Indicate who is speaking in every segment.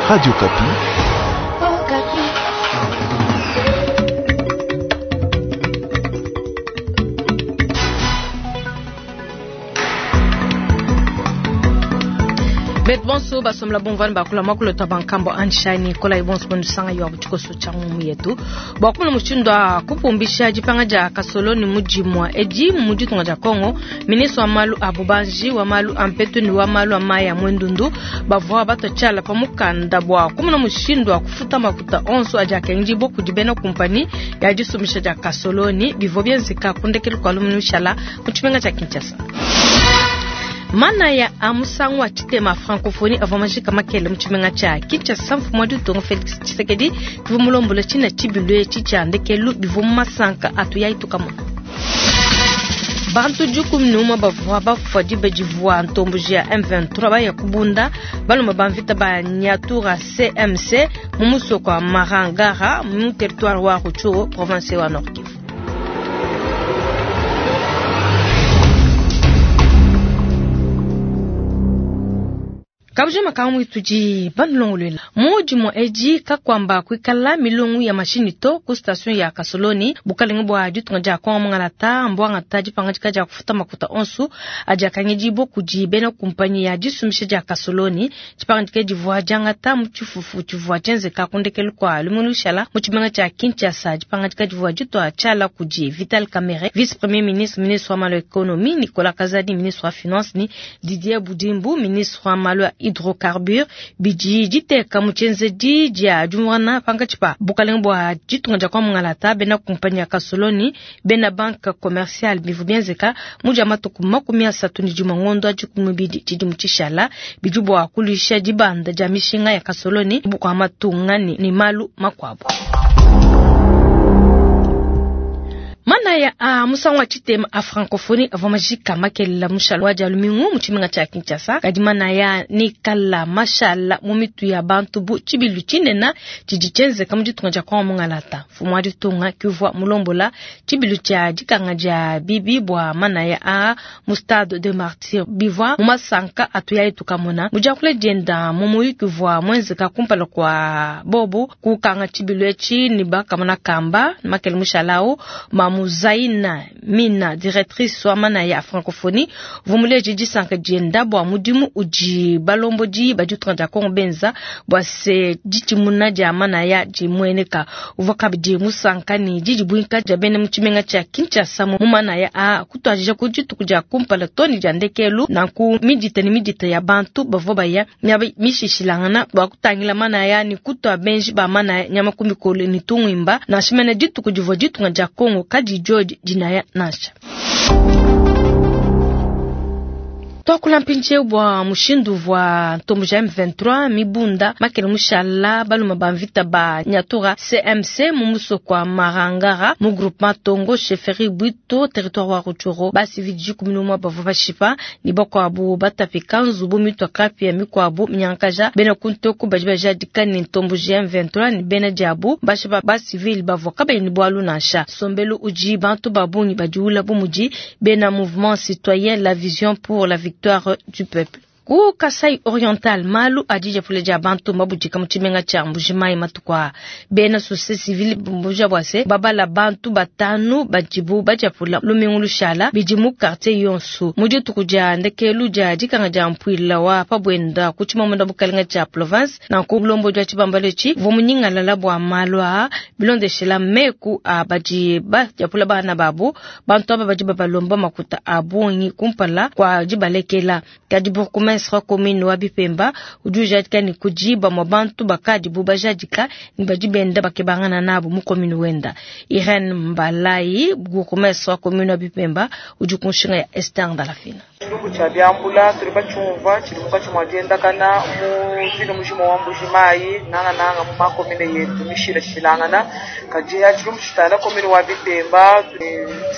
Speaker 1: Radio Okapi.
Speaker 2: Betu bonso basomla bomvani bakula makulota bankambo anshani kola ibonso bondusanga yo abutikoso cha ngumu yetu bwa kumuna mushindu wa kupumbisha dipanga dia kasoloni mudimua edi mu ditunga dia Kongo ministre wa malu a bubanji wa malu a mpetu ni wa malu a mayi a mwendundu bavua batwa tshiala pa mukanda bua kumuna mushindu wa kufuta makuta onso adi akengedibua kudi bena kumpani ya disumbisha dia kasoloni bivua bienzeka ku ndekelu kua lumingu lushala mu tshimenga tshia Kinshasa. Manaya a musangu wa tshitema francophonie avua majika makele mu tshimenga tshia Kinshasa. Mfumu wa ditunga Felix Tshisekedi kivua mulombola tshina tshibilu etshi tshia ndekelu bivua mu masanka atu yayi tukamona. Bantu 11 bavua bafua diba divua ntomboji ya M23 baya kubunda balume ba mvita ba Nyatura CMC mu musoko wa Marangara mu territoire wa Rutshuru province wa Nord Kivu. Kabujima kamwe tudi banulongoluela mudimu edi kakwamba kuikala milongo ya mashinyi to ku station ya Kasoloni bukalenge bua ditunga dia Kongo mungalata mbwangata dipangadika dia kufuta makuta onso adi akangedibua kudi bena kumpanyi ya disumbisha dia Kasoloni. Dipangadika divua diangata mu tshifufu tshivua tshienzeka ku ndekelu kua lumingu lushala mu tshimenga tshia Kinshasa. Dipangadika divua ditua tshiala kudi Vital Kamerhe, vice premier ministre, ministre wa malu a economie, Nicolas Kazadi, ministre wa finance, ni Didier Budimbu, ministre wa malu a hydrocarbure. Bidi diteka mu tshienzedi dia diumvuangana pankatshi pa bukalenge bua ditunga dia Kongo mungalata, bena kumpanyi ya Kasoloni, bena banque commerciale. Bivua bienzeka mu dia matuku 31 ngondo wa 12 tshidimu tshishala, bidi bua kuluisha dibanda dia mishinga ya Kasoloni bua matunga ni malu makuabu. Manaya a musangu wa tshitema a francophonie avua majika makelela mushalo wa dia lumingu mu tshimenga tshia Kinshasa. Kadi manaya ni kala mashala mu mitu ya bantu bu tshibilu tshinena tshidi tshienzeka mu ditunga dia Kongo mungalata. Mfumu wa ditunga kivua mulombola tshibilu tshia dikanga dia bibi bua manaya a mu stade de Martyrs bivua mu masanka atu yayi tukamona mu diakula dienda mu muyuki uvua muenzeka kumpala kua bobu kukanga tshibilu etshi ni bakamona kamba makele mushalau Mamu Zaina Mina, directrice wa manaya ya francophonie, vumuleji disanka dienda bua mudimu udi balombodi ba ditunga dia Kongo benza bua se ditshimuna dia manaya dimueneka. Uvua kabidi musanka ni didibuinka dia bena mu tshimenga tshia Kinshasa mu manaya a kutuadija ku dituku dia kumpala to ne dia ndekelu. Nanku midita ne midita ya bantu bavua baya miaba mishishilangana bua kutangila manaya ni kutua benji ba manaya nyama ku mikolo ne tungimba nansha mene dituku divua ditunga dia Kongo kadi diodi dinaya nansha. Twakula mpindieu bua mushindu uvua ntomboji ya M23 mibunda makele mushala balume ba mvita ba Nyatura CMC mu musoko wa Marangara mu groupement Tongo chefferie Bwito territoire wa Rutshuru. Basivili 11 bavua bashipa ni bakuabu batapika nzubu mitua kapia mikuabu minyankaja bena kuntoku badi bajadika ni ntomboji ya M23 ni bena diabu bashipa basivili bavua kabayi ni bualu nansha. Sombelu udi bantu ba bungi badiula bu mudi bena mouvement citoyen la vision pour la victoire du peuple. Ku Kasai Oriental malu adi diapula dia bantu mabudika mu tshimenga tshia Mbujimayi matuku aa. Bena société civile mbuja bua se babala bantu batanu badibu badiapula lumingu lushala bidi mu quartier yonso. Mu dituku dia ndekelu dia dikanga dia mpuila wa pabwenda ku tshimamunda bukalenga tshia province nanku mulombodi wa tshibambalu etshi uvua munyingalala bua malu aa bilondeshela meku a badi badiapula bana babu. Bantu aba badi babalomba makuta a bungi kumpala kua dibalekela. Kadi bourgmestre wa commune wa Bipemba udi ujadika ni kudi bamue bantu bakadibu bajadika ni badi benda bakebangana nabu mu commune wenda. Irene Mbalayi, bourgmestre wa commune wa Bipemba, udi ku nshinga ya Esther Ndalafina.
Speaker 3: Tshilumbu tshia biambula tuli batshiumvua tshidi munkatshi mua diendakana mu ville mujima wa Mbujimayi, nangananga mu makomine yetu mishilashilangana. Kadi tshilumbu tshitala commune wa Bipemba,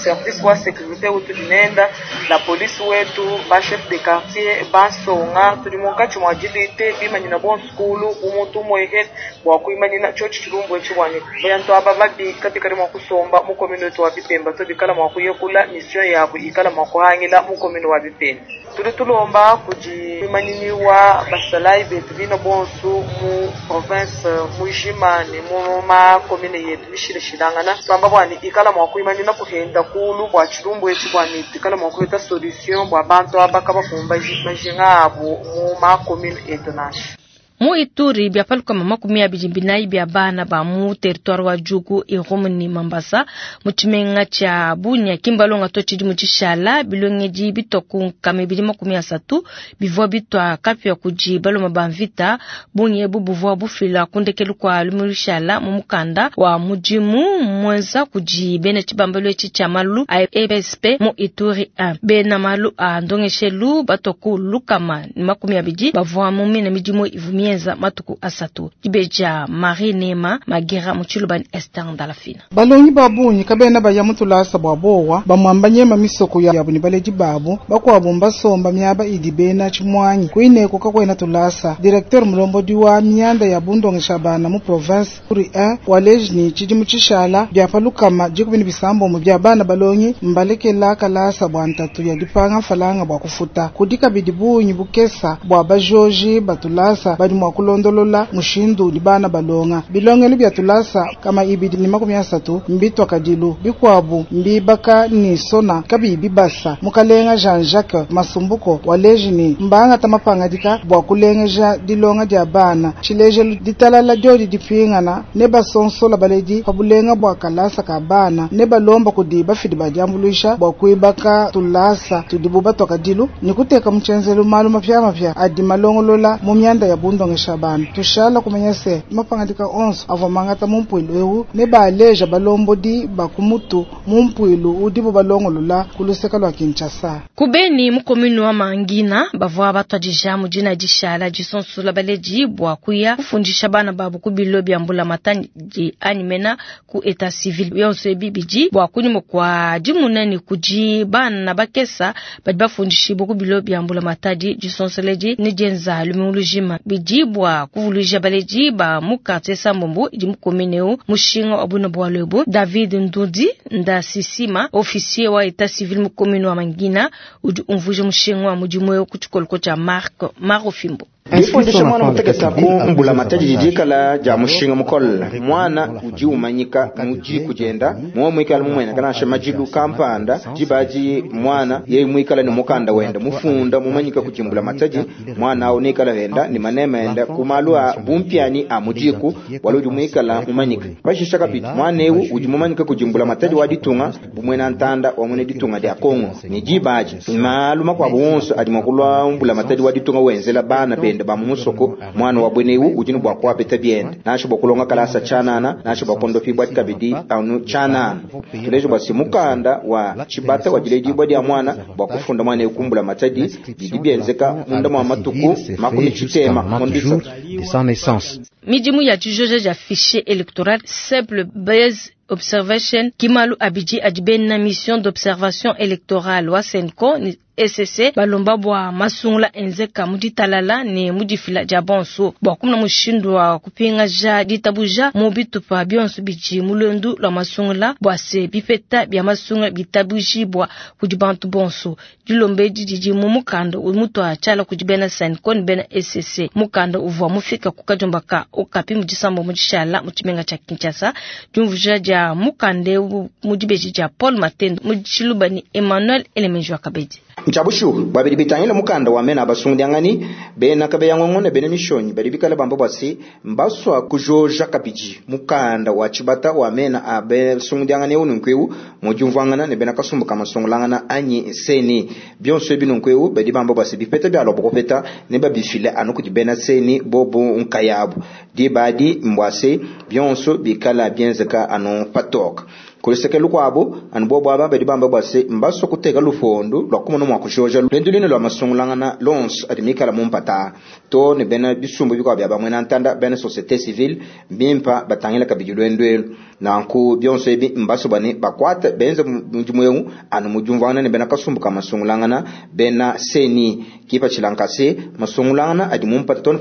Speaker 3: service wa sécurité utudi nenda la police wetu ba chef de quartier basonga tuli munkatshi mua dilite bimanyina bonso kulu bu muntu umwehe bua kuimanyina tshiotshi tshilumbu etshi bua ne bantu aba babika bikale mua kusomba mu commune wetu wa Bipemba to bikala mua kuyekula mission yabu ikala mua kuhangila mu commune wa Bipemba. Tudi tulomba kudi muimanyinyi wa basalayi betu bina bonsu mu province mujima ne mu ma commune yetu mishilashilangana, tuamba bua ne ikala mua kuimanyina kuhenda kulu bua tshilumbu etshi, bua ne tuikala mua kupeta solution bua bantu aba kabakumbaji majinga abu mu ma commune etu nansha.
Speaker 2: Mu Ituri, bia pa 24 bia bana ba mu territoire wa Djugu, Irumu ne Mambasa mu tshimenga tshia Bunia ki mbalonga to tshidimu tshishala bilongedi bitua ku 230 bivua bitua kapia kudi baluma ba mvita. Bungi ebu buvua bufila ku ndekelu kua lumingu lushala mu mukanda wa mudimu muenza kudi bena tshibambalu etshi tshia malu a EPSP mu Ituri 1. Bena malu a ndongeshelu batua ku 120 bavua mu mina midimu ivua mienza matuku asatu. Dibeja Marie Nema Magera mu Tshiluba ne Esther Ndalafina.
Speaker 1: Balongi ba bungi kabena baya mu tulasa bua bowa bamwamba nyema misoko yabu ne baledi babu bakuabu mbasomba miaba idi bena tshimuanyi kuineko kakwena tulasa. Directeur mulombodi wa mianda ya bundongesha bana mu province Ituri 1 waleji ni tshidimu tshishala bia pa 17 bia bana balongi mbalekela kalasa bua ntatu ya dipanga mfalanga bua kufuta. Kudi kabidi bungi bukesa bua bajoji batulasa badi mua kulondolola mushindu udi bana balonga. Bilongelu bia tulasa 230 mbitwa kadilu bikuabu mbibaka ni sona kabiyi bibasa. Mukalenga Jean-Jacques Masumbuko waleji ni mbanga tamapangadika bua kulengeja dilonga dia bana tshilejelu ditalala diodi dipingana ne basonsola baledi pa bulenga bua kalasa ka bana ne balomba kudi bafidi ba diambuluisha bua kuibaka tulasa tudibu batwa kadilu ni kuteka mu tshenzelu malu mapiamapia adi malongolola mu mianda ya bundongesha bana. Tushala kumanya se mapangadika onso avua mangata mu mpuilu eu ne baleja balombodi ba ku mutu mu mpuilu udibu balongolola ku luseke lua Kinshasa.
Speaker 2: Ku Beni mu commune wa Mangina bavua batuadija mu dina dishala disonsola baledi bua kuya kufundisha bana babu ku bilo bia mbulamatadi anyi mena ku état civil. Yonso ebi bidi bua kunyima kua dimuna ne kudi bana bakesa badi bafundishibua ku bilo bia mbulamatadi. Disonsoledi ne dienza lumingu lujima bidi bua kuvuluija baledi ba mu quartier Sambombo idi mu commune eu mushinga wa buna bualu ebu. David Ndudi Ndasisima, officier wa état civil mu commune wa Mangina, udi umvuija mushinga wa mudimu eu ku tshikoloko tshia Marc Marofimbo.
Speaker 4: Difundisha mwana muteketa ku mbulamatadi didikala dia mushinga mukole. Mwana udi umanyika mu diku dienda muwe muikala mumwena kanasha majilu kampanda dibaji mwana yeye muikala ni mukanda wenda mufunda mumanyika ku mbulamatadi mwana awu nikala wenda ni manema enda ku malu a bumpiani a mudiku wala udi muikala mumanyika. Pashisha kabidi mwana ewu udi mumanyika ku mbulamatadi wa ditunga bumwena ntanda wa mwene ditunga dia Kongo ni dibaji malu makuabu wonso adi mwakulwa mbulamatadi wa ditunga wenzela bana bende ba mumusoko mwana wa bwenewu udi ne bua kuapeta biende nasho bua kulonga kalasa tshanana nasho bua kondopi bua kabidi anu tshanana tulejo bua mukanda wa tshibata wa diledibua dia mwana bua kufunda mwana ewu kumbula matadi bidi bienzeka munda mwa matuku 60 mondisa.
Speaker 2: Midimu ya dijoja dia fichier électoral simple base observation kimalu abidi adi bena mission d'observation électorale wa CENCO ni ECC balomba bua masungula enzeka mu ditalala ne mu difila dia bonso bua kumuna mushindu wa kupingaja ditabuja mu bitupa bionso bidi mu lwendu lua masungula bua se bipeta bia masungula bitabujibua kudi bantu bonso. Dilomba edi didi mu mukanda mutua tshiala kudi bena CENCO ne bena ECC. Mukanda uvua mufika ku kadiomba ka Okapi mu disambo mu dishala mu tshimenga tshia Kinshasa. Diumvuija dia mukanda eu mu dibeji dia Paul Matendo mu tshiluba ni Emmanuel Elemenjo Kabedi.
Speaker 4: Nchabushu babidi bitangila mukanda wa mena abasungudiangani bena kabeya ngongo ne bena mishonyi badi bikala bamba bwasi mbaswa kujoja kabidi mukanda wa tshibata wa mena abasungudiangani eu nunkueu mujumvangana ne bena kasumbu kamasungulangana anyi seni bionso ebi nunkueu badi bamba bwasi bipeta bya lobo kupeta ne babifile anu kudi bena seni bobu nkayabu dibadi mbwasi bionso bikala bienzeka anu patoka kuluseke lukuabu anu bobo aba badi bamba bwasi mbaswa kuteka lufondu lua kumona mua kujoja lwendu lune lua masungulangana lonso adi mikala mumpata to ne bena bisumbu bikuabu bia bamwena ntanda bena société civile bimpa batangila kabidi lwendu elu. Nanku bionso ebi mbaso bane bakuate benze mudimu eu anu mu diumvuangana ne bena kasumbu ka masungulangana bena CENI. Kipatshila nkase masungulangana adi mu mpata too ne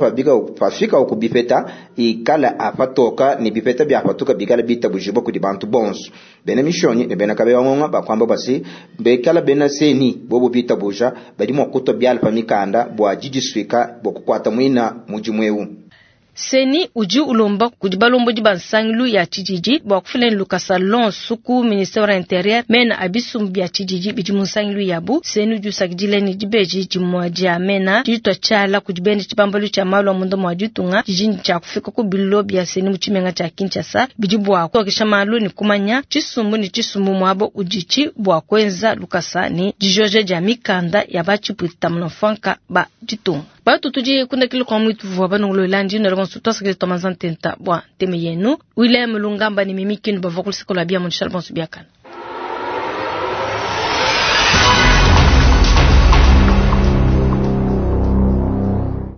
Speaker 4: pafikawu ku bipeta ikala apatoka ne bipeta biapatuka bikala bitabujibua kudi bantu bonso. Bena Mishonyi ne bena Kabeya Ngonga bakuamba bua se, bikala bena CENI bobo bitabuja, badi mua kutua biala pa mikanda bua didisuika bua kukuata muina mudimu eu.
Speaker 2: CENI udi ulomba kudi balombodi ba nsangilu ya tshididi bua kufila ne lukasa lonso ku ministere wa interieur mena a bisumbu bia tshididi bidi mu nsangilu yabu. CENI udi usakidila ne dibeji dimue dia mena ditua tshiala kudi bena tshibambalu tshia malu a munda mua ditunga didi ne tshia kufika ku bilo bia CENI mu tshimenga tshia Kinshasa bidi bua kutokesha malu ne kumanya tshisumbu ne tshisumbu muaba uditshi bua kuenza lukasa ne dijoja dia mikanda ya ba tshipuita munamfuanka ba ditunga. Batu tudi kundakilo kwa mwitu vua banongolola ndi na bonso twasakile twamanza ntenta bua nteme yenu. William Lungamba ne Mimi Kinu bavua ku luseke lua bia mu bonso biakana.